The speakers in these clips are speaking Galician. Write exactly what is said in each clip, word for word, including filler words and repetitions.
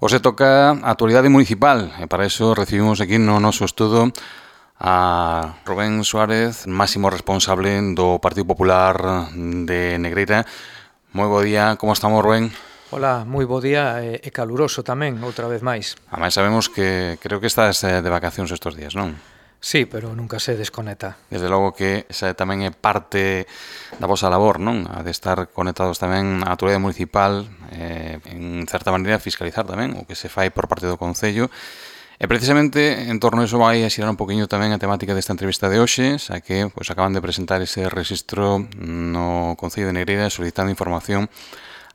Hoxe toca a actualidade municipal e para iso recibimos aquí no noso estudo a Rubén Suárez, máximo responsable do Partido Popular de Negreira. Moi bo día, como estamos, Rubén? Ola, moi bo día e, e caluroso tamén, outra vez máis. Ademais sabemos que creo que estás de vacacións estes días, non? Sí, pero nunca se desconecta. Desde logo que esa tamén é parte da vosa labor, non? A de estar conectados tamén á actualidade municipal, eh, en certa maneira fiscalizar tamén o que se fai por parte do Concello. E precisamente en torno a iso vai a xirar un poquinho tamén a temática desta entrevista de hoxe, xa que pois, acaban de presentar ese registro no Concello de Negreira solicitando información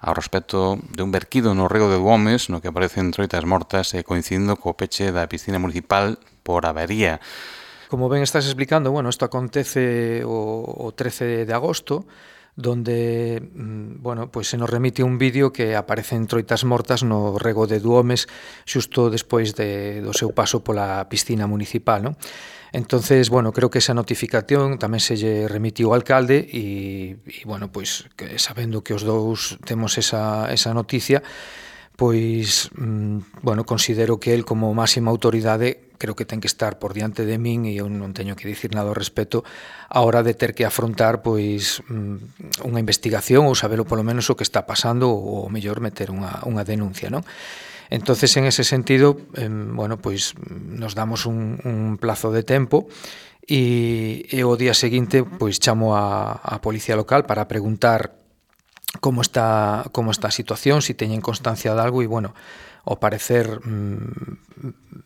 ao respecto de un verquido no rego de Duomes, no que aparecen troitas mortas e coincidindo co peche da piscina municipal por avería. Como ben estás explicando, bueno, isto acontece o, o trece de agosto, donde, bueno, pues se nos remite un vídeo que aparecen troitas mortas no rego de Duomes xusto despois de, do seu paso pola piscina municipal, non? Entonces, bueno, creo que esa notificación tamén se lle remitiu ao alcalde e, e bueno, pois que sabendo que os dous temos esa, esa noticia, pois, bueno, considero que el como máxima autoridade creo que ten que estar por diante de min e eu non teño que dicir nada ao respecto a hora de ter que afrontar pois unha investigación ou sabelo polo menos o que está pasando ou mellor meter unha, unha denuncia, non? Entonces, en ese sentido, eh, bueno, pois nos damos un, un plazo de tempo e, e o día seguinte pois chamo a, a policía local para preguntar como está como está a situación, se si teñen constancia de algo e, bueno, ao parecer mmm,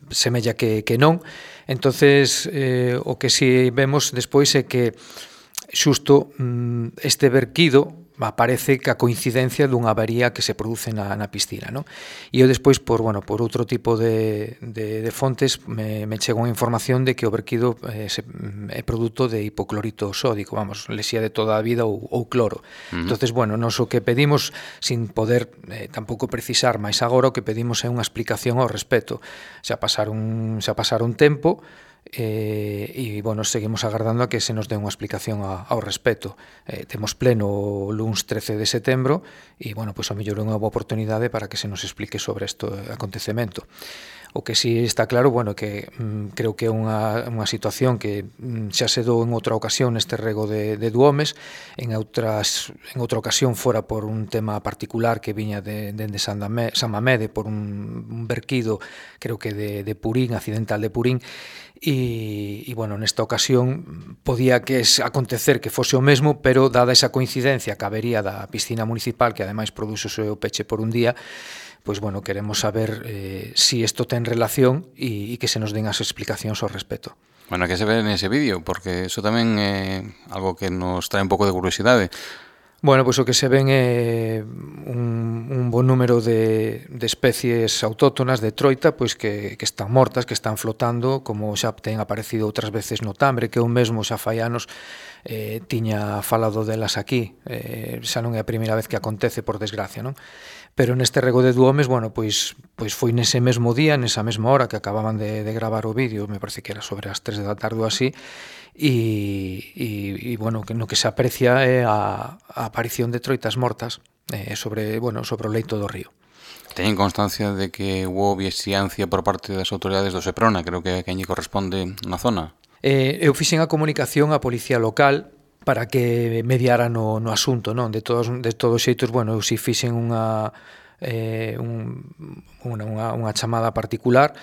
semella que, que non. Entonces, eh, o que si vemos despois é que xusto mmm, este verquido aparece ca coincidencia dunha avería que se produce na, na piscina, non? E eu despois, por, bueno, por outro tipo de, de, de fontes, me, me chega unha información de que o verquido eh, se, é produto de hipoclorito sódico, vamos, lesía de toda a vida ou, ou cloro. Uh-huh. Entonces, bueno, nos o que pedimos, sin poder eh, tampouco precisar máis agora, o que pedimos é unha explicación ao respecto. Xa pasar un, xa pasar un tempo, e, e bueno, seguimos agardando a que se nos dé unha explicación a, ao respecto. Eh, temos pleno o luns trece de setembro e, bueno, pois a mellor é unha boa oportunidade para que se nos explique sobre este acontecemento. O que sí está claro, bueno, que mm, creo que é unha, unha situación que mm, xa se dou en outra ocasión neste rego de, de Duomes, en outras en outra ocasión fora por un tema particular que viña de, de, de San, Dame, San Mamede, por un, un verquido, creo que de, de Purín, accidental de Purín, e, e bueno, nesta ocasión podía que acontecer que fose o mesmo, pero dada esa coincidencia que habería da piscina municipal, que ademais produce o seu peche por un día, pois, bueno, queremos saber eh, si isto ten relación e, e que se nos den as explicacións ao respecto. Bueno, que se ve nese vídeo, porque iso tamén é algo que nos trae un pouco de curiosidade. Bueno, pois o que se ven é un, un bon número de, de especies autóctonas de troita pois que, que están mortas, que están flotando, como xa ten aparecido outras veces no Tambre, que eu mesmo xa fai anos eh, tiña falado delas aquí. Eh, xa non é a primeira vez que acontece, por desgracia, non? Pero neste rego de Duomes, bueno, pois, pois foi nese mesmo día, nesa mesma hora que acababan de, de gravar o vídeo, me parece que era sobre as tres da tarde ou así, e, e, e bueno, que no que se aprecia é a, a aparición de troitas mortas eh, sobre, bueno, sobre o leito do río. Teñen constancia de que hubo vixiancia por parte das autoridades do Seprona, creo que a quen lle corresponde na zona? Eh, eu fixen a comunicación á policía local para que mediara no, no asunto, non? De todos de todos xeitos, bueno, eu si fixen unha eh, un, unha, unha, unha chamada particular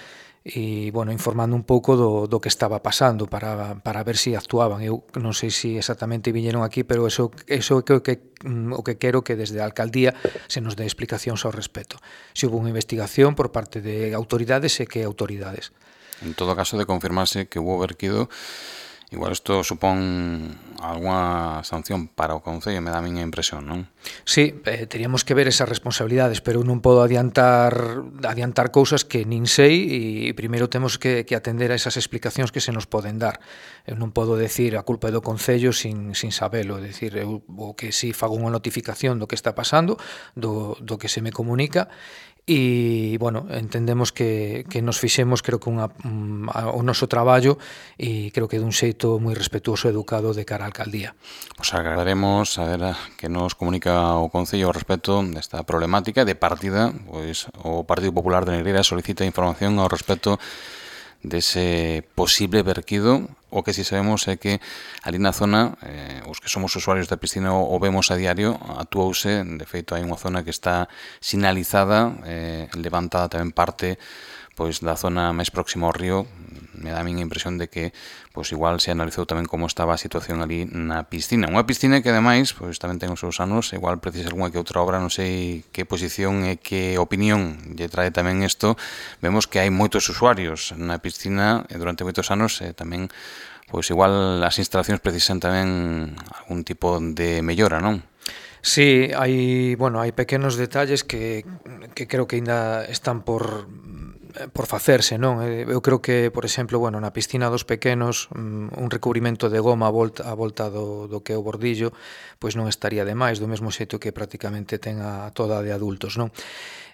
e, bueno, informando un pouco do, do que estaba pasando para, para ver se si actuaban. Eu non sei se si exactamente viñeron aquí, pero eso, eso é o que, o que quero que desde a alcaldía se nos dé explicacións ao respecto. Se houve unha investigación por parte de autoridades e que autoridades. En todo caso, de confirmarse que hubo verquido, igual isto supón algunha sanción para o Concello, me dá a miña impresión, non? Sí, eh, teríamos que ver esas responsabilidades, pero non podo adiantar adiantar cousas que nin sei e primeiro temos que, que atender a esas explicacións que se nos poden dar. Eu non podo decir a culpa é do Concello sin, sin sabelo, é dicir, eu o que si fago unha notificación do que está pasando, do, do que se me comunica e, bueno, entendemos que, que nos fixemos, creo que unha, um, o noso traballo, e creo que dun xeito moi respetuoso e educado de cara á alcaldía. Pois agradaremos a ver que nos comunica o Concello ao respecto desta problemática. De partida, pois o Partido Popular de Negreira solicita información ao respecto dese posible verquido. O que si sabemos é que ali na zona, eh, os que somos usuarios da piscina o, o vemos a diario, actuouse, de feito hai unha zona que está sinalizada, eh, levantada tamén parte pois da zona máis próxima ao río. Me dá a min a impresión de que pois igual se analizou tamén como estaba a situación ali na piscina. Unha piscina que ademais pois tamén ten os seus anos, igual precisa algunha que outra obra, non sei que posición e que opinión lle trae tamén isto. Vemos que hai moitos usuarios na piscina e durante moitos anos e tamén pois igual as instalacións precisan tamén algún tipo de mellora, non? Sí, hai, bueno, hai pequenos detalles que, que creo que ainda están por por facerse, non? Eu creo que, por exemplo, bueno, na piscina dos pequenos, un recubrimento de goma a volta, a volta do, do que é o bordillo, pois non estaría de máis, do mesmo xeito que prácticamente ten a toda de adultos, non?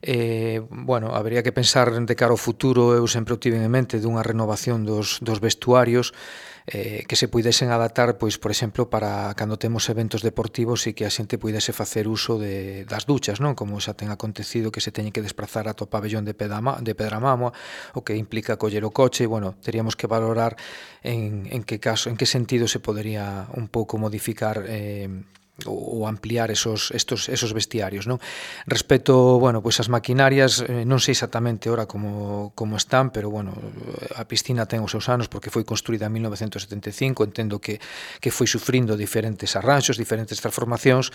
Eh, bueno, habería que pensar de cara ao futuro. Eu sempre o tive en mente dunha renovación dos, dos vestuarios, eh, que se puidesen adaptar, pois, por exemplo, para cando temos eventos deportivos e que a xente puidese facer uso de, das duchas, non? Como xa ten acontecido que se teñen que desplazar ata o pabellón de, Pedama, de Pedramamo, o que implica coller o coche. Bueno, teríamos que valorar en, en que caso, en que sentido se podería un pouco modificar eh, ou ampliar esos estos esos vestiarios, non? Respecto, bueno, pois as maquinarias, eh, non sei exactamente ora como como están, pero bueno, a piscina ten os seus anos porque foi construída en mil novecentos setenta e cinco, entendo que que foi sufrindo diferentes arranxos, diferentes transformacións,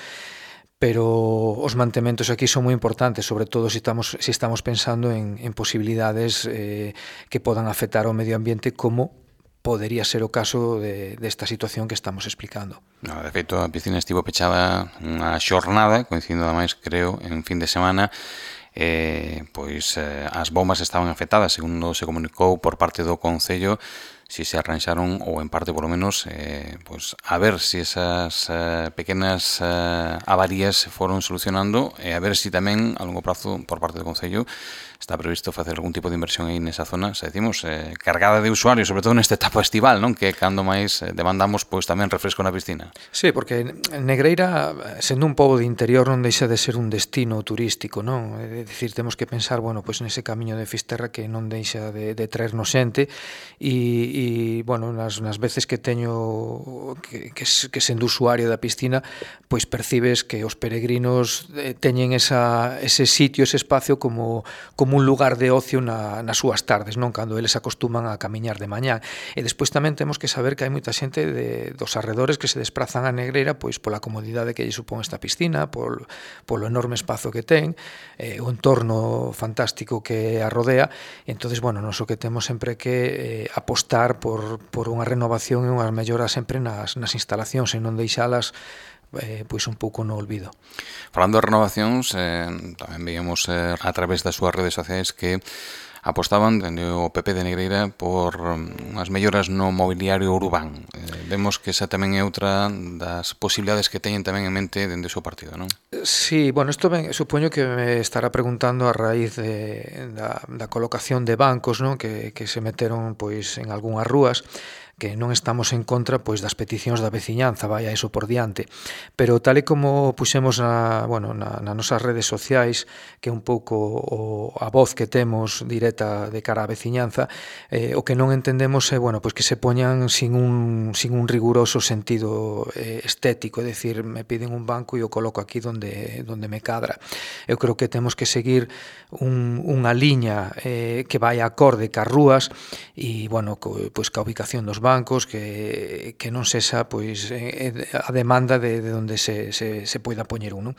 pero os mantementos aquí son moi importantes, sobre todo se estamos se estamos pensando en en posibilidades eh que podan afectar ao medio ambiente, como podería ser o caso de, desta situación que estamos explicando. No, de feito, a piscina estivo pechada unha xornada, coincidindo ademais, creo, en fin de semana. Eh, pois eh, as bombas estaban afectadas, segundo se comunicou por parte do Concello. Si se arranxaron, ou en parte polo menos, eh, pois, a ver se si esas eh, pequenas eh, avarías foron solucionando, e a ver se si tamén a longo prazo por parte do Concello está previsto facer algún tipo de inversión aí nesa zona, se decimos, eh, cargada de usuarios, sobre todo nesta etapa estival, non? Que cando máis demandamos pois tamén refresco na piscina. Sí, porque Negreira, sendo un pobo de interior, non deixa de ser un destino turístico, non? É dicir, temos que pensar, bueno, pois nese camiño de Fisterra que non deixa de, de traernos xente, e, e bueno, nas, nas veces que teño que, que, que sendo usuario da piscina, pois percibes que os peregrinos teñen esa, ese sitio, ese espacio como, como un lugar de ocio na, nas súas tardes, non? Cando eles acostuman a camiñar de mañá. E despois tamén temos que saber que hai moita xente de, dos arredores que se desplazan a Negreira pois pola comodidade que lle supón esta piscina, pol, polo enorme espazo que ten, eh, o entorno fantástico que a rodea. E entonces, bueno, nos o que temos sempre que eh, apostar por, por unha renovación e unha mellora sempre nas, nas instalacións e non deixalas eh, pois un pouco no olvido. Falando de renovacións, eh, tamén veíamos eh, a través das súas redes sociais que apostaban dende o P P de Negreira por unhas melloras no mobiliario urbán. Eh, vemos que esa tamén é outra das posibilidades que teñen tamén en mente dende o seu partido, non? Sí, bueno, isto ben, supoño que me estará preguntando a raíz de, da, da colocación de bancos, non? Que, que se meteron pois en algunhas rúas, que non estamos en contra pois das peticións da veciñanza, vaya eso por diante, pero tal e como puxemos na, bueno, na, nas nosas redes sociais, que é un pouco o, a voz que temos directa de cara á veciñanza, eh, o que non entendemos é, bueno, pois que se poñan sin un, sin un riguroso sentido eh, estético, é dicir, me piden un banco e o coloco aquí donde, donde me cadra. Eu creo que temos que seguir un, unha liña eh, que vai acorde cas rúas e, bueno, co, pois ca ubicación dos bancos, que, que non sexa pois eh, a demanda de, de onde se, se, se poida poñer uno.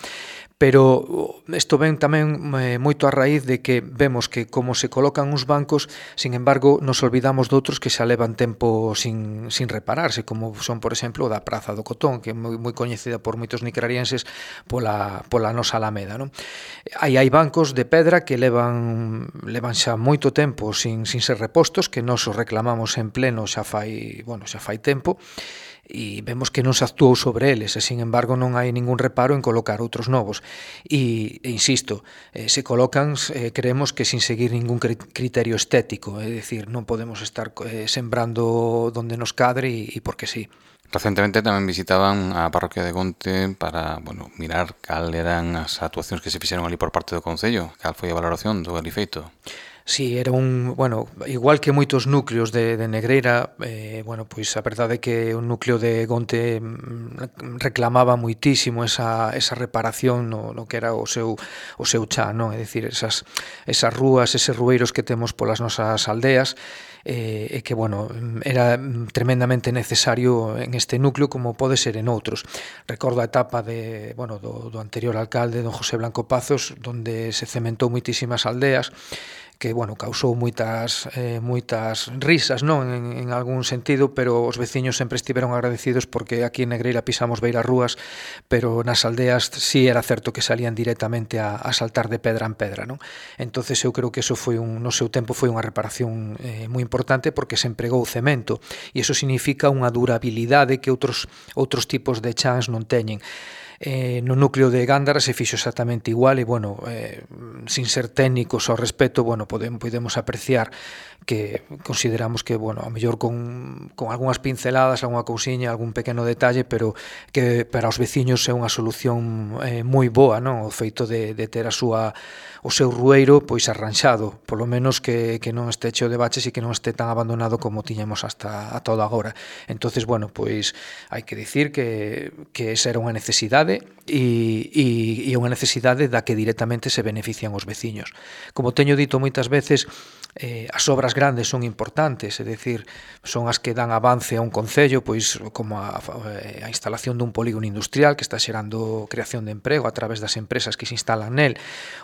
Pero isto ven tamén eh, moito a raíz de que vemos que como se colocan uns bancos, sin embargo, nos olvidamos de outros que xa levan tempo sin, sin repararse, como son, por exemplo, o da Praza do Cotón, que é moi, moi coñecida por moitos nicrarienses pola, pola nosa Alameda, non? Aí hai bancos de pedra que levan, levan xa moito tempo sin, sin ser repostos, que nos os reclamamos en pleno xa fai, bueno, xa fai tempo, e vemos que non se actuou sobre eles, e, sin embargo, non hai ningún reparo en colocar outros novos. E, e insisto, eh, se colocan, eh, creemos que sin seguir ningún criterio estético, é dicir, non podemos estar eh, sembrando donde nos cadre e, e porque sí. Recentemente tamén visitaban a parroquia de Gonte para, bueno, mirar cal eran as actuacións que se fixeron ali por parte do Concello, cal foi a valoración do ali feito. Sí, era un, bueno, igual que moitos núcleos de, de Negreira, eh, bueno, pois a verdade é que o núcleo de Gonte reclamaba moitísimo esa, esa reparación no, no que era o seu, o seu chan, non? É dicir, esas, esas rúas, eses rueiros que temos polas nosas aldeas, e eh, que, bueno, era tremendamente necesario en este núcleo como pode ser en outros. Recordo a etapa de, bueno, do, do anterior alcalde, don José Blanco Pazos, donde se cementou moitísimas aldeas, que, bueno, causou moitas eh, moitas risas, non, en, en algún sentido, pero os veciños sempre estiveron agradecidos porque aquí en Negreira pisamos beiras rúas, pero nas aldeas sí era certo que salían directamente a, a saltar de pedra en pedra, non? Entonces eu creo que eso foi un, no seu tempo foi unha reparación eh, moi importante porque se empregou cemento e iso significa unha durabilidade que outros outros tipos de chans non teñen. Eh, no núcleo de Gándara se fixo exactamente igual e, bueno, eh, sin ser técnicos ao respecto, bueno, podemos, podemos apreciar que consideramos que, bueno, a mellor con, con algunhas pinceladas, algunha cousiña, algún pequeno detalle, pero que para os veciños é unha solución eh, moi boa, non? O feito de, de ter a súa o seu rueiro pois arranxado, polo menos que, que non este cheo de baches e que non este tan abandonado como tiñamos hasta a toda agora. Entonces, bueno, pois hai que dicir que, que esa era unha necesidade e, e, e unha necesidade da que directamente se benefician os veciños. Como teño dito moitas veces, eh, as obras grandes son importantes, é dicir, son as que dan avance a un concello, pois como a, a instalación dun polígono industrial que está xerando creación de emprego a través das empresas que se instalan nel,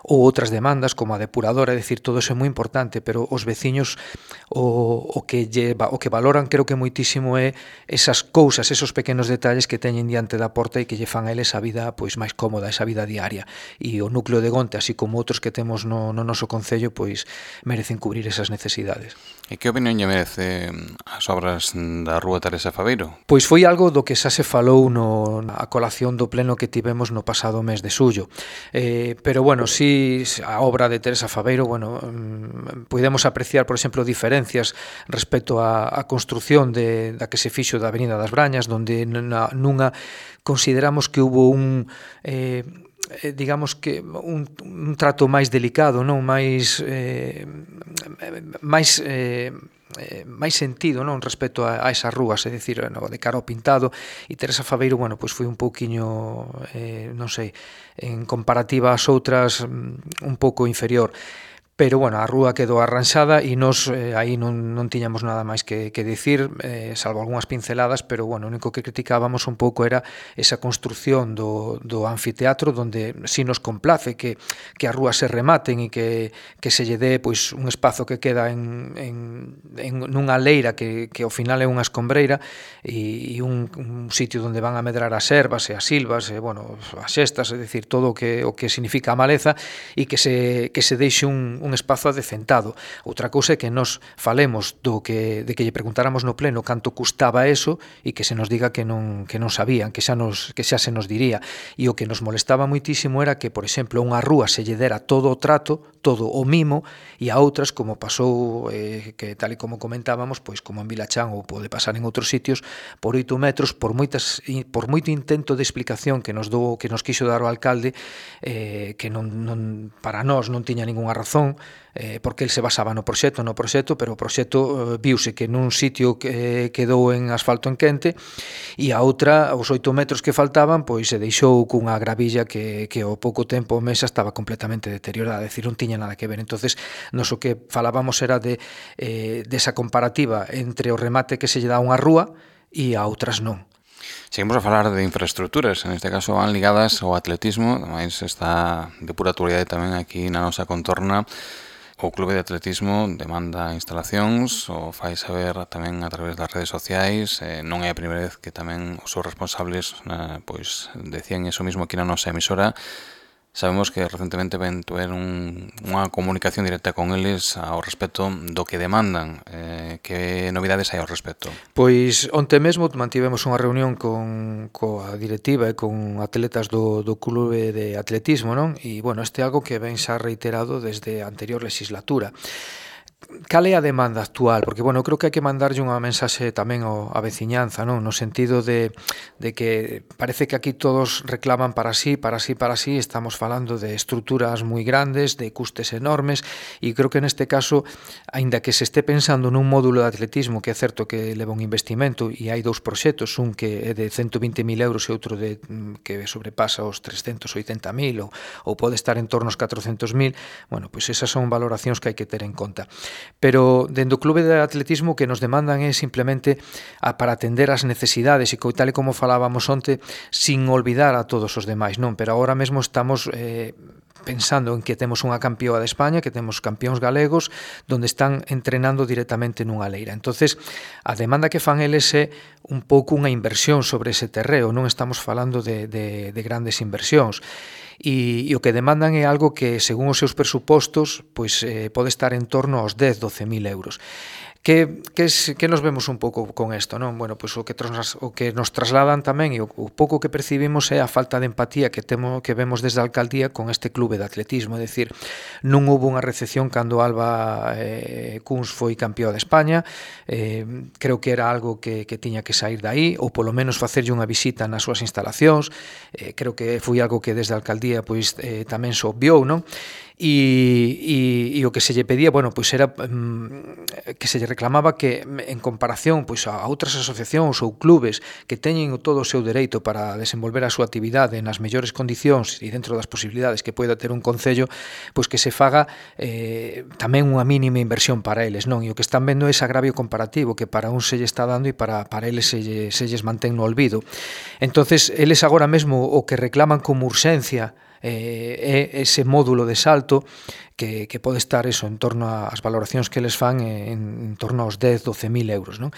ou outras demandas como a depuradora, é dicir, todo eso é moi importante, pero os veciños o, o que lleva, o que valoran creo que moitísimo é esas cousas, esos pequenos detalles que teñen diante da porta e que lle fan a eles a vida pois máis cómoda, esa vida diaria. E o núcleo de Gonte, así como outros que temos no, no noso concello, pois merecen cubrir esas necesidades. E que opinión lle merece as obras da Rúa Teresa Faveiro? Pois foi algo do que xa se falou no, na colación do pleno que tivemos no pasado mes de xullo. Eh, pero, bueno, si a obra de Teresa Faveiro, bueno, podemos apreciar, por exemplo, diferencias respecto á, á construción de, da que se fixo da Avenida das Brañas, donde na, nunha consideramos que hubo un... Eh, digamos que un, un trato máis delicado, non, máis eh, máis eh, máis sentido, non, respecto a, a esas rúas, é dicir, no, de cara ao pintado, e Teresa Faveiro, bueno, pois foi un pouquiño eh, non sei, en comparativa ás outras un pouco inferior. Pero, bueno, a rúa quedou arranxada e nos eh, aí non, non tiñamos nada máis que, que dicir, eh, salvo algunhas pinceladas, pero, bueno, o único que criticábamos un pouco era esa construción do, do anfiteatro, donde si nos complace que, que as rúas se rematen e que, que se lle dé pois, un espazo que queda en, en, en nunha leira que, que ao final é unha escombreira e, e un, un sitio onde van a medrar as ervas e as silvas, e, bueno, as xestas, é dicir, todo o que, o que significa a maleza e que se, que se deixe un, un un espazo adecentado. Outra cousa é que nos falemos do que de que lle preguntáramos no pleno canto custaba eso e que se nos diga que non que non sabían, que xa nos que xa se nos diría. E o que nos molestaba moitísimo era que, por exemplo, unha rúa se lle dera todo o trato, todo o mimo, e a outras, como pasou eh, que tal e como comentábamos, pois como en Vilachán ou pode pasar en outros sitios, por oito metros, por moitas por moito intento de explicación que nos dou que nos quixo dar o alcalde, eh, que non, non para nós non tiña ningunha razón, eh, porque el se basaba no proxecto, no proxecto, pero o proxecto eh, viuse que nun sitio que quedou en asfalto en quente e a outra, os oito metros que faltaban, pois se deixou cunha gravilla que, que ao pouco tempo o mesa estaba completamente deteriorada, é dicir, non tiña nada que ver. Entonces, nos o que falábamos era de eh, desa comparativa entre o remate que se lle dá a unha rúa e a outras non. Seguimos a falar de infraestructuras, en este caso van ligadas ao atletismo, ademais está de pura actualidade tamén aquí na nosa contorna. O Clube de Atletismo demanda instalacións, o fai saber tamén a través das redes sociais, eh, non é a primeira vez que tamén os seus responsables eh, pois decían eso mismo aquí na nosa emisora. Sabemos que recentemente ven tuver un, unha comunicación directa con eles ao respecto do que demandan. Eh, que novidades hai ao respecto? Pois onte mesmo mantivemos unha reunión con coa directiva e con atletas do, do clube de atletismo, non? E, bueno, este é algo que ven xa reiterado desde a anterior legislatura. Cal é a demanda actual? Porque, bueno, creo que hai que mandarlle unha mensaxe tamén ao, a veciñanza, non? No sentido de, de que parece que aquí todos reclaman para sí, para sí, para sí, estamos falando de estruturas moi grandes, de custes enormes, e creo que neste caso, aínda que se este pensando nun módulo de atletismo, que é certo que leva un investimento, e hai dous proxectos, un que é de ciento vinte mil euros e outro de, que sobrepasa os trescentos oitenta mil, ou, ou pode estar en torno aos catrocentos mil, bueno, pois esas son valoracións que hai que ter en conta. Pero dentro do clube de atletismo que nos demandan é simplemente a, para atender as necesidades e co, tal e como falábamos onte, sin olvidar a todos os demais, non? Pero agora mesmo estamos eh, pensando en que temos unha campioa de España, que temos campións galegos, donde están entrenando directamente nunha leira. Entonces, a demanda que fan eles é un pouco unha inversión sobre ese terreo, non estamos falando de, de, de grandes inversións. E, e o que demandan é algo que, según os seus presupostos, pois, eh, pode estar en torno aos dez, doce mil euros. Que, que, es, que nos vemos un pouco con isto, non? Bueno, pois o que, tras, o que nos trasladan tamén e o, o pouco que percibimos é a falta de empatía que temo que vemos desde a alcaldía con este clube de atletismo, é dicir, non houve unha recepción cando Alba eh, Cuns foi campeón de España, eh, creo que era algo que, que tiña que sair daí, ou polo menos facerlle unha visita nas súas instalacións, eh, creo que foi algo que desde a alcaldía pois eh, tamén se obviou, non? E, e, e o que se lle pedía, bueno, pois era um, que se lle reclamaba que en comparación pois a outras asociacións ou clubes que teñen todo o seu dereito para desenvolver a súa actividade nas mellores condicións e dentro das posibilidades que poida ter un concello, pois que se faga eh, tamén unha mínima inversión para eles, non? E o que están vendo é ese agravio comparativo que para un se lle está dando e para, para eles se, lle, se lles mantén no olvido. Entonces, eles agora mesmo o que reclaman como urxencia eh, é ese módulo de salto que, que pode estar eso en torno ás valoracións que eles fan en, en torno aos dez, doce mil euros, non?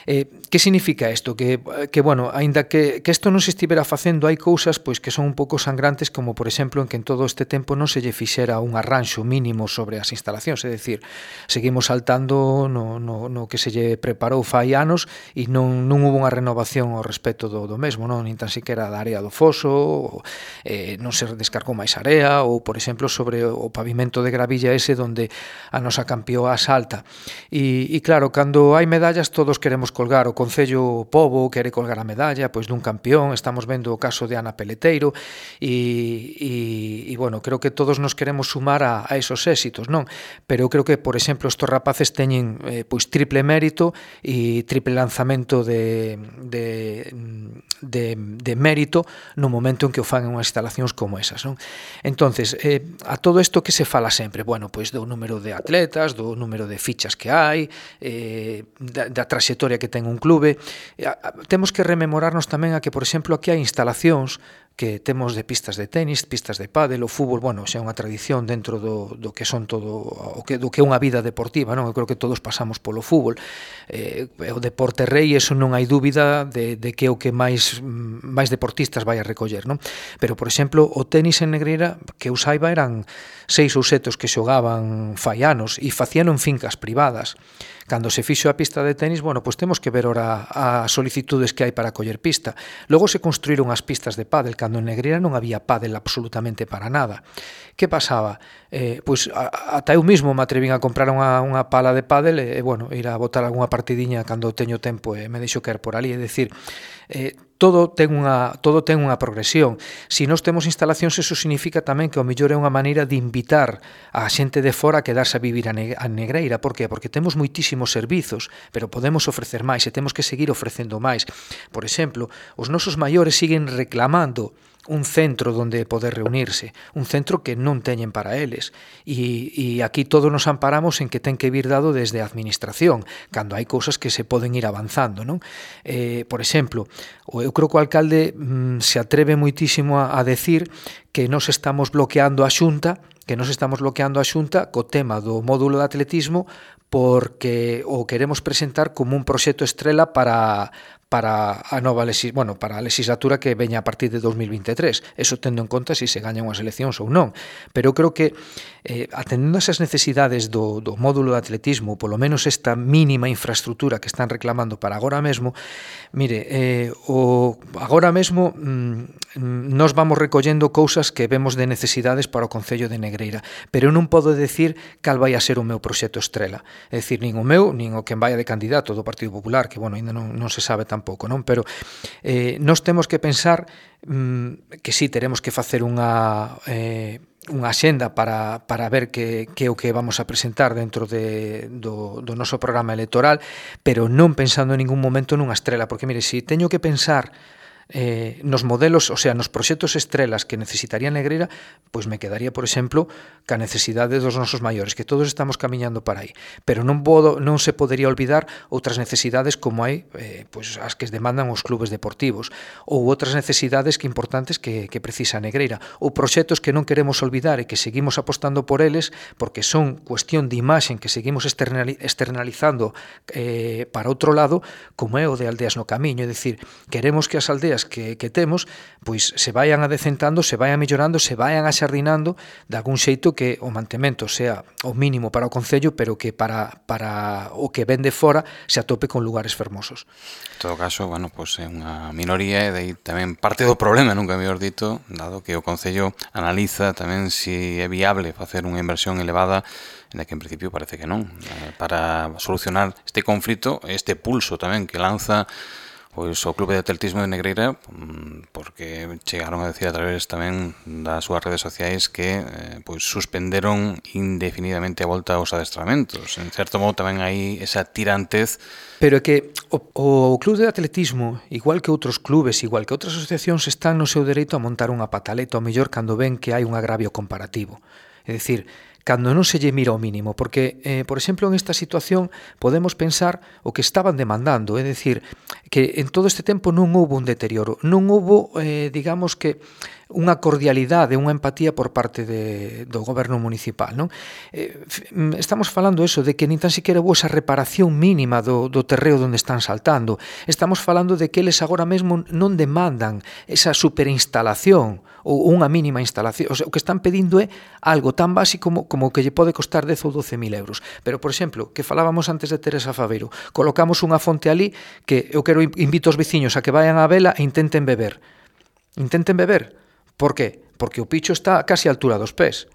Eh, que significa isto? Que, que bueno, aínda que, que isto non se estivera facendo, hai cousas pois que son un pouco sangrantes, como por exemplo en que en todo este tempo non se lle fixera un arranxo mínimo sobre as instalacións, é dicir, seguimos saltando no, no, no que se lle preparou fai anos e non, non hubo unha renovación ao respecto do, do mesmo, non? Nin tan siquiera da área do foso, ou, eh, non se descargou máis area, ou por exemplo sobre o pavimento de gravilla ese donde a nosa campioa salta. E, e claro, cando hai medallas todos queremos colgar, o Concello Pobo quere colgar a medalla pois dun campión, estamos vendo o caso de Ana Peleteiro e, e, e bueno, creo que todos nos queremos sumar a, a esos éxitos, non? Pero eu creo que, por exemplo, estos rapaces teñen eh, pois triple mérito e triple lanzamento de, de, de, de mérito no momento en que o fan en unhas instalacións como esas, non? Entonces, eh, a todo isto que se fala sempre, bueno, pois do número de atletas, do número de fichas que hai, eh, da, da traxectoria que ten un clube. Eh, temos que rememorarnos tamén a que, por exemplo, aquí hai instalacións que temos de pistas de tenis, pistas de pádel, o fútbol, bueno, xa é unha tradición dentro do, do que son todo o que, do que é unha vida deportiva, non? Eu creo que todos pasamos polo fútbol. Eh, o deporte rei, eso non hai dúbida de, de que é o que máis máis deportistas vai a recoller, non? Pero, por exemplo, o tenis en Negreira, que eu saiba, eran seis ou sete os que xogaban fai anos e facían en fincas privadas. Cando se fixo a pista de tenis, bueno, pois temos que ver ora as solicitudes que hai para coller pista. Logo se construíron as pistas de pádel, cando en Negreira non había pádel absolutamente para nada. Que pasaba? Eh, pois ata eu mismo me atrevín a comprar unha, unha pala de pádel e, bueno, ir a botar algunha partidiña cando teño tempo e me deixo caer por ali, é dicir, eh, todo ten unha todo ten unha progresión. Se nós temos instalacións, eso significa tamén que o mellor é unha maneira de invitar a xente de fora a quedarse a vivir a Negreira. Por que? Porque temos moitísimos servizos, pero podemos ofrecer máis e temos que seguir ofrecendo máis. Por exemplo, os nosos maiores siguen reclamando un centro donde poder reunirse, un centro que non teñen para eles. E, e aquí todos nos amparamos en que ten que vir dado desde a administración, cando hai cousas que se poden ir avanzando, non? Eh, por exemplo, eu creo que o alcalde mm, se atreve moitísimo a, a decir que nos estamos bloqueando a Xunta, que nos estamos bloqueando a Xunta co tema do módulo de atletismo porque o queremos presentar como un proxecto estrela para para a nova lexis, bueno, para a legislatura que veña a partir de dos mil vinte e tres. Eso tendo en conta se se gañan as eleccións ou non. Pero eu creo que eh, atendendo a esas necesidades do, do módulo de atletismo, polo menos esta mínima infraestructura que están reclamando para agora mesmo, mire, eh, o, agora mesmo mm, nos vamos recollendo cousas que vemos de necesidades para o Concello de Negreira, pero eu non podo decir cal vai a ser o meu proxecto estrela. É dicir, nin o meu, nin o que vaya de candidato do Partido Popular, que, bueno, ainda non, non se sabe tampouco, non? Pero eh, nos temos que pensar mm, que sí, teremos que facer unha eh, unha axenda para, para ver que, que o que vamos a presentar dentro de, do, do noso programa electoral, pero non pensando en ningún momento nunha estrela, porque, mire, se teño que pensar eh, nos modelos, o sea, nos proxectos estrelas que necesitaría Negreira, pois me quedaría, por exemplo, ca necesidade dos nosos maiores, que todos estamos camiñando para aí. Pero non podo, non se podería olvidar outras necesidades como hai, eh, pois as que demandan os clubes deportivos, ou outras necesidades que importantes que, que precisa Negreira, ou proxectos que non queremos olvidar e que seguimos apostando por eles, porque son cuestión de imaxen que seguimos externalizando eh, para outro lado, como é o de Aldeas no Camiño. É dicir, queremos que as aldeas que, que temos pois se vayan adecentando, se vayan mellorando, se vayan axardinando de algún xeito que o mantemento sea o mínimo para o Concello, pero que para, para o que ven de fora se atope con lugares fermosos. En todo caso, bueno, pois é unha minoría e de aí tamén parte do problema, nunca mellor dito, dado que o Concello analiza tamén se é viable facer unha inversión elevada, en que en principio parece que non, para solucionar este conflito, este pulso tamén que lanza pois o Clube de Atletismo de Negreira, porque chegaron a decir a través tamén das súas redes sociais que eh, pois suspenderon indefinidamente a volta aos adestramentos. En certo modo tamén hai esa tirantez. Pero é que o, o Clube de Atletismo, igual que outros clubes, igual que outras asociacións, están no seu dereito a montar unha pataleta ao mellor cando ven que hai un agravio comparativo. É dicir, cando non se lle mira o mínimo, porque, eh, por exemplo, en esta situación podemos pensar o que estaban demandando, é dicir, que en todo este tempo non houbo un deterioro, non houbo, eh, digamos que, unha cordialidade, unha empatía por parte de, do goberno municipal, non? Eh, estamos falando eso, de que nin tan siquiera houve esa reparación mínima do, do terreo onde están saltando. Estamos falando de que eles agora mesmo non demandan esa superinstalación ou unha mínima instalación. O sea, o que están pedindo é algo tan básico como, como que lle pode costar dez ou doce mil euros. Pero, por exemplo, que falábamos antes de Teresa Faveiro, colocamos unha fonte ali que eu quero invito aos veciños a que vayan á vela e intenten beber. Intenten beber. Por que? Porque o picho está casi á altura dos pés.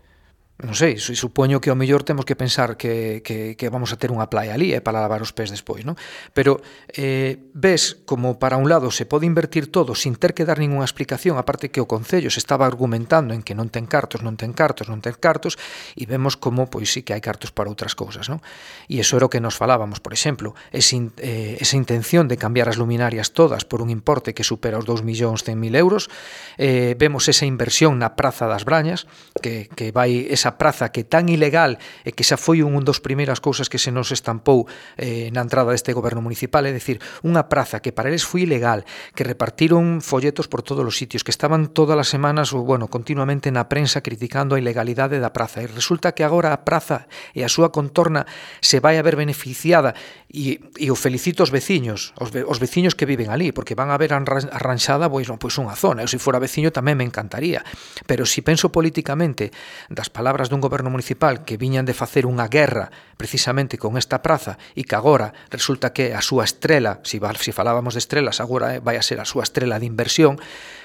Non sei, supoño que ao mellor temos que pensar que, que, que vamos a ter unha playa ali eh, para lavar os pés despois, non? Pero eh, ves como para un lado se pode invertir todo sin ter que dar ninguna explicación, aparte que o Concello se estaba argumentando en que non ten cartos, non ten cartos, non ten cartos, e vemos como, pois sí que hai cartos para outras cousas, non? E iso era o que nos falábamos, por exemplo, ese, eh, esa intención de cambiar as luminarias todas por un importe que supera os dous millóns cen mil euros, eh, vemos esa inversión na Praza das Brañas, que, que vai esa praza que tan ilegal e que xa foi un dos primeiras cousas que se nos estampou eh, na entrada deste goberno municipal, é dicir, unha praza que para eles foi ilegal, que repartiron folletos por todos os sitios, que estaban todas as semanas ou, bueno, continuamente na prensa criticando a ilegalidade da praza, e resulta que agora a praza e a súa contorna se vai a ver beneficiada, e, e o felicito aos veciños, os, ve, os veciños que viven ali, porque van a ver arranxada pois, pois unha zona. Eu, se fora veciño, tamén me encantaría, pero se penso políticamente das palabras dun goberno municipal que viñan de facer unha guerra precisamente con esta praza e que agora resulta que a súa estrela, se si falábamos de estrelas, agora vai a ser a súa estrela de inversión,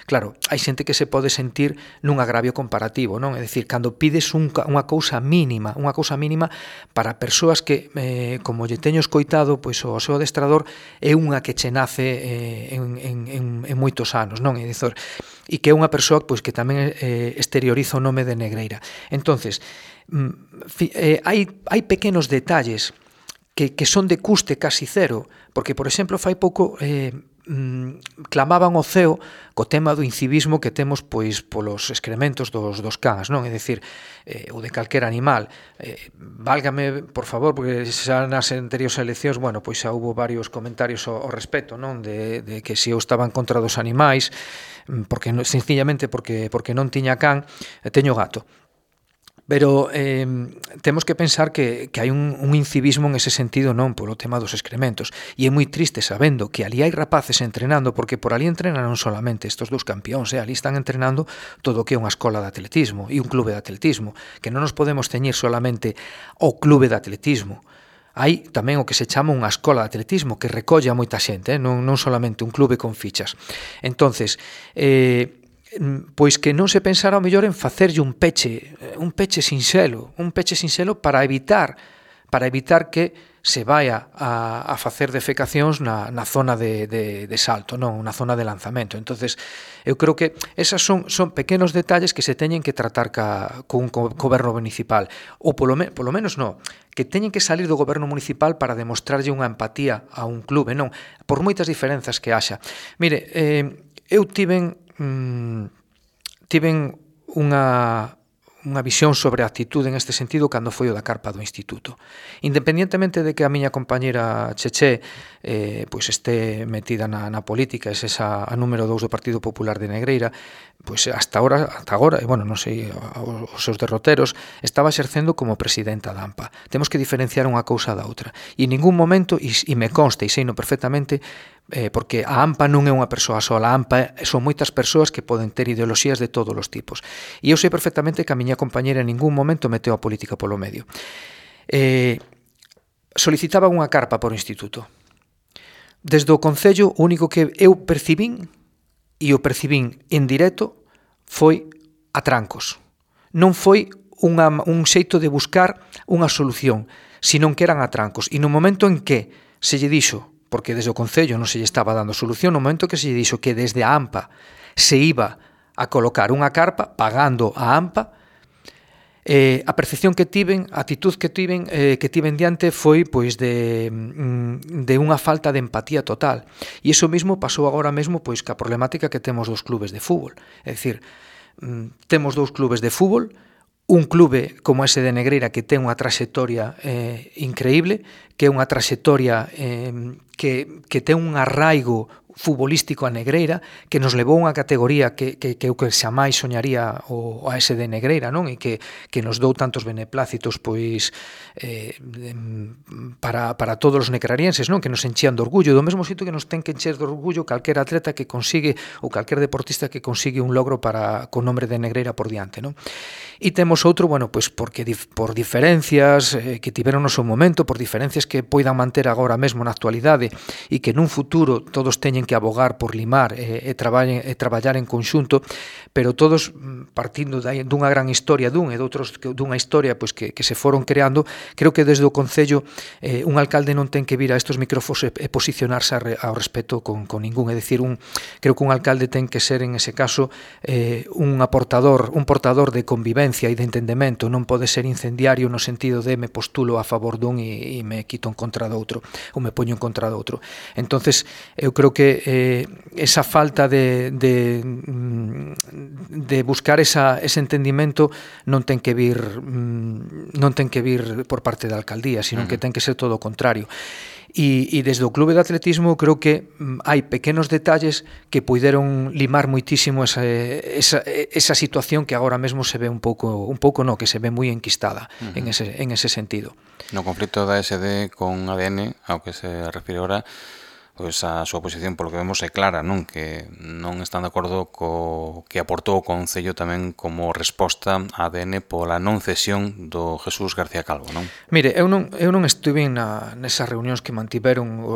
claro, hai xente que se pode sentir nun agravio comparativo, non? É dicir, cando pides un, unha cousa mínima, unha cousa mínima para persoas que, eh, como lle teño escoitado, pois o seu adestrador é unha que che nace eh, en, en, en, en moitos anos, non? É dicir, e que é unha persoa pois, que tamén eh, exterioriza o nome de Negreira. Entonces, eh, hai, hai pequenos detalles que, que son de custe casi cero, porque, por exemplo, fai pouco eh, clamaban o ceo co tema do incivismo que temos pois polos excrementos dos, dos cans, non? É dicir, eh, ou de calquera animal. Eh, válgame, por favor, porque xa nas anteriores eleccións, bueno, pois xa hubo varios comentarios ao, ao respecto, non? De, de que se eu estaba en contra dos animais, porque sencillamente porque, porque non tiña can, teño gato. Pero eh, temos que pensar que, que hai un, un incivismo en ese sentido, non polo tema dos excrementos. E é moi triste sabendo que ali hai rapaces entrenando, porque por ali entrenan non solamente estes dous campións, eh, ali están entrenando todo o que é unha escola de atletismo e un clube de atletismo, que non nos podemos teñir solamente ao clube de atletismo. Hai tamén o que se chama unha escola de atletismo que recolle a moita xente, eh, non, non solamente un clube con fichas. Entonces, eh, pois que non se pensara ao mellor en facerlle un peche, un peche sinxelo, un peche sinxelo para evitar para evitar que se vaya a, a facer defecacións na, na zona de, de, de salto, non, na zona de lanzamento. Entonces, eu creo que esas son, son pequenos detalles que se teñen que tratar ca, con un goberno municipal, ou polo, me, polo menos non, que teñen que salir do goberno municipal para demostrarlle unha empatía a un clube, non, por moitas diferenzas que haxa. Mire, eh, eu tiven mm, tiven unha unha visión sobre a actitude en este sentido cando foi o da carpa do instituto. Independientemente de que a miña compañera Cheche eh, pois este metida na, na política, é esa a número dous do Partido Popular de Negreira, pois hasta agora, hasta agora, e bueno, non sei, os seus derroteros, estaba exercendo como presidenta da AMPA. Temos que diferenciar unha cousa da outra. E en ningún momento, e, e me consta, e seino perfectamente, eh, porque a AMPA non é unha persoa sola, a AMPA son moitas persoas que poden ter ideoloxías de todos os tipos. E eu sei perfectamente que a miña compañera en ningún momento meteu a política polo medio. Eh, solicitaba unha carpa por instituto. Desde o Concello, o único que eu percibín, e o percibín en directo, foi atrancos. Non foi unha, un xeito de buscar unha solución, senón que eran atrancos. E no momento en que se lle dixo, porque desde o Concello non se lle estaba dando solución, no momento que se lle dixo que desde a AMPA se iba a colocar unha carpa, pagando a AMPA, Eh, a percepción que tiven, a actitud que tiven, eh, que tiven diante foi pois de, de unha falta de empatía total. E iso mesmo pasou agora mesmo pois ca problemática que temos dos clubes de fútbol. É dicir, temos dous clubes de fútbol, un clube como ese de Negreira que ten unha traxectoria eh, increíble, que é unha traxectoria eh, que, que ten un arraigo futbolístico a Negreira, que nos levou unha categoría que, que, que eu que xamais soñaría o, a ese de Negreira, non? E que, que nos dou tantos beneplácitos pois eh, para, para todos os necrarienses, non? Que nos enchían de orgullo, do mesmo xeito que nos ten que encher de orgullo calquer atleta que consigue ou calquer deportista que consigue un logro para con nombre de Negreira por diante, non? E temos outro, bueno, pois porque por diferencias eh, que tiveron no seu momento, por diferencias que poidan manter agora mesmo na actualidade e que nun futuro todos teñen que abogar por limar e, e, traballen, e traballar en conxunto, pero todos partindo dunha gran historia dun e doutros dunha historia pois que, que se foron creando. Creo que desde o Concello eh, un alcalde non ten que vir a estos micrófonos e, e posicionarse ao respecto con, con ningún, é dicir, un, creo que un alcalde ten que ser en ese caso eh, un aportador, un portador de convivencia e de entendemento, non pode ser incendiario no sentido de me postulo a favor dun e, e me quito en contra do outro, ou me poño en contra do outro. Entonces, eu creo que eh, esa falta de, de, de buscar esa, ese entendimento non ten que vir non ten que vir por parte da alcaldía, sino que ten que ser todo o contrario. E, e desde o clube de atletismo creo que hai pequenos detalles que puideron limar moitísimo esa, esa, esa situación que agora mesmo se ve un pouco, un pouco no, que se ve moi enquistada uh-huh. en, ese, en ese sentido. No conflito da S D con A D N, ao que se refire ahora, pois a súa posición, polo que vemos, é clara, non? Que non están de acordo co que aportou o Concello tamén como resposta a A D N pola non cesión do Jesús García Calvo, non? Mire, eu non, eu non estuve na, nesas reunións que mantiveron o,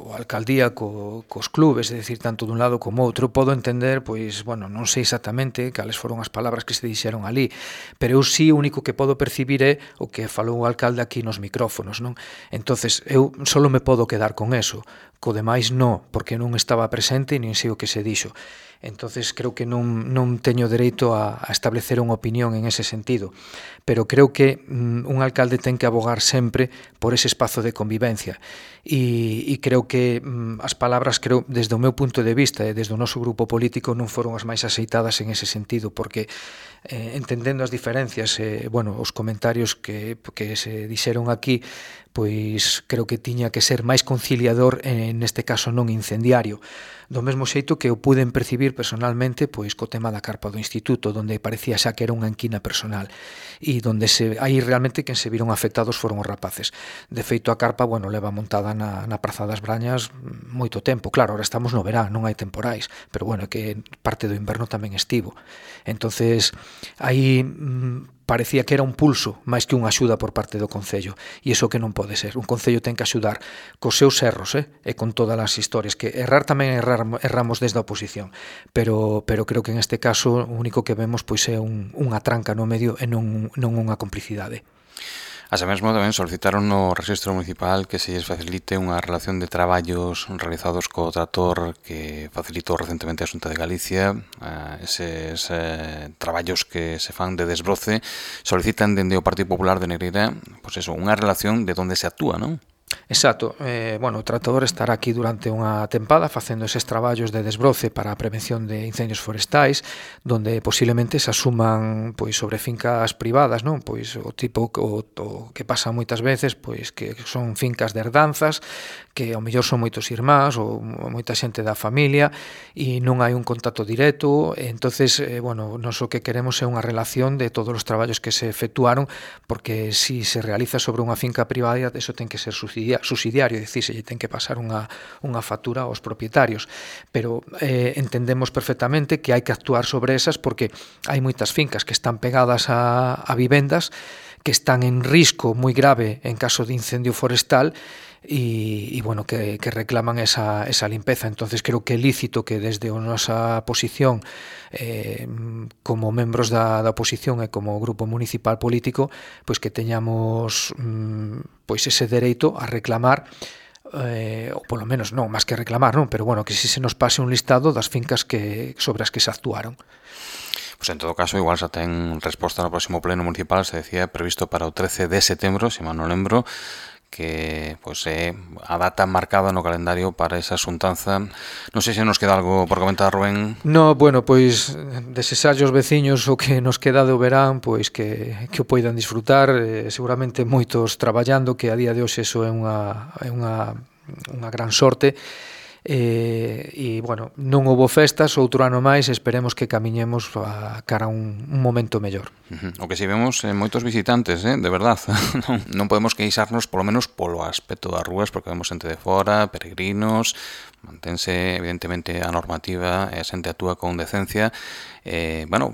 o alcaldía co, cos clubes, é dicir, tanto dun lado como outro. Podo entender, pois, bueno, non sei exactamente cales foron as palabras que se dixeron ali, pero eu sí o único que podo percibir é o que falou o alcalde aquí nos micrófonos, non? Entonces, eu solo me podo quedar con eso. Co demais non, porque non estaba presente nin sei o que se dixo. Entonces creo que non, non teño dereito a, a establecer unha opinión en ese sentido, pero creo que mm, un alcalde ten que abogar sempre por ese espazo de convivencia e, e creo que mm, as palabras, creo, desde o meu punto de vista e desde o noso grupo político non foron as máis aceitadas en ese sentido, porque eh, entendendo as diferencias, eh, bueno, os comentarios que, que se dixeron aquí, pois creo que tiña que ser máis conciliador, en neste caso non incendiario. Do mesmo xeito que o puden percibir personalmente pois co tema da carpa do instituto, donde parecía xa que era unha enquina personal e donde se aí realmente quen se viron afectados foron os rapaces. De feito, a carpa, bueno, leva montada na, na Praza das Brañas moito tempo. Claro, ahora estamos no verán, non hai temporais, pero bueno, que parte do inverno tamén estivo. Entonces, aí mm, parecía que era un pulso máis que unha axuda por parte do Concello, e iso que non pode ser. Un Concello ten que axudar cos seus erros, eh? E con todas as historias, que errar tamén errar, erramos desde a oposición, pero, pero creo que en este caso o único que vemos pois é un, unha tranca no medio e non, non unha complicidade. Así mesmo tamén solicitaron no Rexistro Municipal que se lles facilite unha relación de traballos realizados co trator que facilitou recentemente a Xunta de Galicia. Eses eh, traballos que se fan de desbroce solicitan dende o Partido Popular de Negreira, pois eso, unha relación de onde se actúa, non? Exacto, eh, bueno, o tratador estará aquí durante unha tempada facendo eses traballos de desbroce para a prevención de incendios forestais, donde posiblemente se asuman pois sobre fincas privadas, non? Pois o tipo o, o que pasa moitas veces, pois que son fincas de herdanzas, que ao mellor son moitos irmáns ou moita xente da familia e non hai un contacto directo, entonces, eh, bueno, nós o que queremos é unha relación de todos os traballos que se efectuaron, porque si se realiza sobre unha finca privada, eso ten que ser subsidiado subsidiario, é dicir, se lle ten que pasar unha, unha factura aos propietarios, pero eh, entendemos perfectamente que hai que actuar sobre esas porque hai moitas fincas que están pegadas a, a vivendas que están en risco moi grave en caso de incendio forestal e, e bueno, que, que reclaman esa, esa limpeza. Entonces creo que é lícito que desde a nosa posición eh, como membros da, da oposición e como grupo municipal político, pois que teñamos mm, pois ese dereito a reclamar eh, ou polo menos non, máis que reclamar, non, pero bueno, que si se nos pase un listado das fincas que sobre as que se actuaron. Pois en todo caso, igual xa ten resposta no próximo pleno municipal, se decía previsto para o trece de setembro, se mal non lembro, que pois é a data marcada no calendario para esa xuntanza. Non sei se nos queda algo por comentar, Rubén. No, bueno, pois desexarlle aos veciños o que nos queda do verán, pois que, que o poidan disfrutar, eh, seguramente moitos traballando, que a día de hoxe eso é unha, é unha, unha gran sorte. E, e bueno, non houbo festas, outro ano máis, esperemos que camiñemos a cara a un, un momento mellor. Uh-huh. O que si vemos eh, moitos visitantes, eh, de verdad. non, non podemos queixarnos polo menos polo aspecto das rúas, porque vemos xente de fora, peregrinos, mantense evidentemente a normativa e a xente actúa con decencia. Eh, bueno,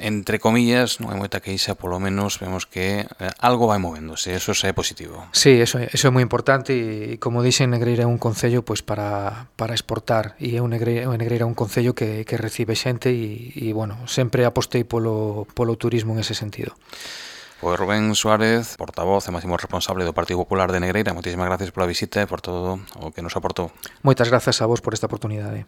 entre comillas, non hai moita queixa, polo menos vemos que eh, algo vai movéndose, eso xa é positivo. Sí, eso, eso é moi importante e, como dixen, Negreira é un concello pois para, para exportar e é un Negreira, un Negreira un concello que, que recibe xente e, e bueno, sempre apostei polo, polo turismo en ese sentido. Pois Rubén Suárez, portavoz e máximo responsable do Partido Popular de Negreira, moitísimas gracias pola visita e por todo o que nos aportou. Moitas grazas a vos por esta oportunidade.